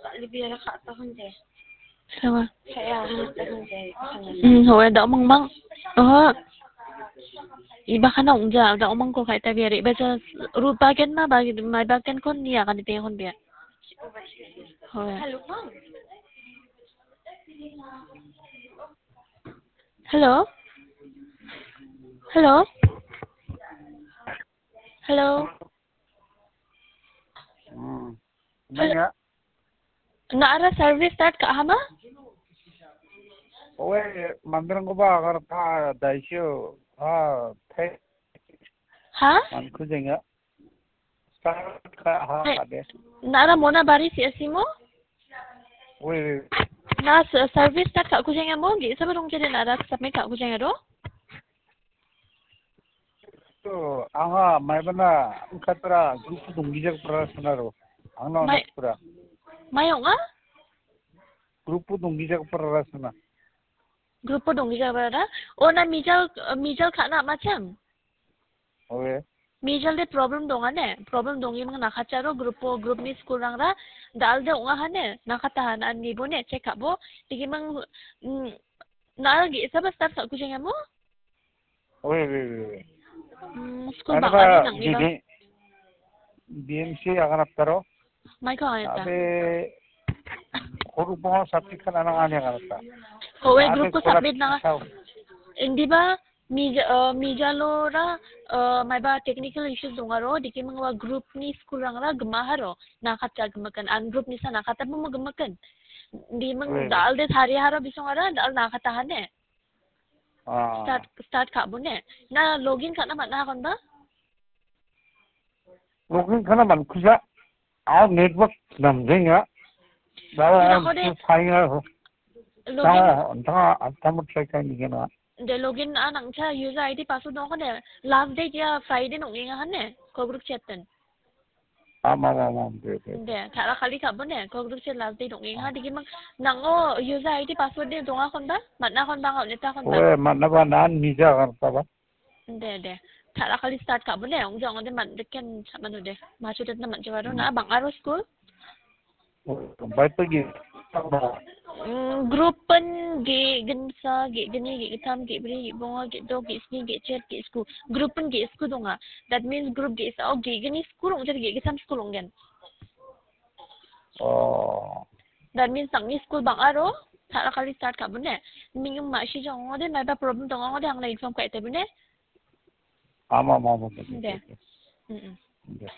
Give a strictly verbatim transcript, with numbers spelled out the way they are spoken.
Kali biara kha ta hunde. Sawa. Kaya ta hunde. Hmm, howe da mangmang. Oho. Iba kana ungja, da omang ko kai ta biara. Iba ja rupa ken ma ba, mai ba ken kon nia kan te hon bia. Howe. Hello? Hello? Hello? Hmm. Hello? Nang·a? Na·ara service start ka·aha ma? Oe, manderangkoba agar ta daisio, ha, te-, Ha? Mankujenga. Start ka-, ha, Hai. Kade. Na·ara mona bari si asimo? Oe, oe. Na s-, service start ka·kujenga mo? Ge·saba dongjade na·ara submit ka·kujenga do? To, anga maibana angkatra grup donggijak prarasana ro. Angna Mai-, onak pura. Mai ong·a? Grup donggijak prarasana. Grup donggijak prara? O na mijal, mijal ka·na machang? Oe. Mijal de problem donga ne? Problem dongi mang nakacharo grup, grup ni school rangra dal de ong·a hane? Nakata hana nibo ne check up bo. Digi mang, mm, na ge·saba start ka·kujenga mo? Oe, oe, oe, oe. Hmm, school Ano bang·ani ba nang·ni ba? B-, B M C akan aptaro? Mai ko ayata. Abe, koru bonga submit kan anang ani akan apta. Ko we Abe group ko kola submit nanga. Sao. Indi ba, mija-, eh, mijalo ra, eh, mai ba technical issues dongaro, diki mengwa group ni school rangra gemaharo, nakatja gemakan, an group ni sa nakata mo gemakan. Di meng Oe. Dal de sari haro bisongara, dal nakata hane. Ah. Start, start ka·bone. Na login ka·na man·a kon ba? Login ka·na man·kuja. Ah, network namjenga. Ba, Kira ko de. Sainga. Login. Tanga, tanga, tanga try ka·ni gena. De login a nangcha user I D password dong ko de. Last date ya Friday nong inga hane. Ko group chat ten. Am, am, am, am, de, de. De, tara kali ka·bone, ko group se last date dong·enga, digi mang, nang·o user I D password de donga kon ba, man·a kon ba, anga on·eta kon ba. Oe, man·a ba, nan mija kan ta ba. De, de. Tara kali start ka·bone, ong jong de man, de ken sa manu de. Masu de na man jawaro, na bang·aro school. Baipagi. Mm, grup pen ge gensa, ge geni, ge getam, ge bri, ge bonga, ge dok, ge sni, ge chet, ge sku. Grup pen ge sku donga. That means grup ge sa, oh, ge geni sku rong, jadi ge getam sku rong gen. Oh. That means nangni school bang aro, tara kali start ka bune. Mingum ma si jong ode, maiba problem dong ode, angna inform ka ite bune. Ama, ama, ama. De. Mm-mm. De.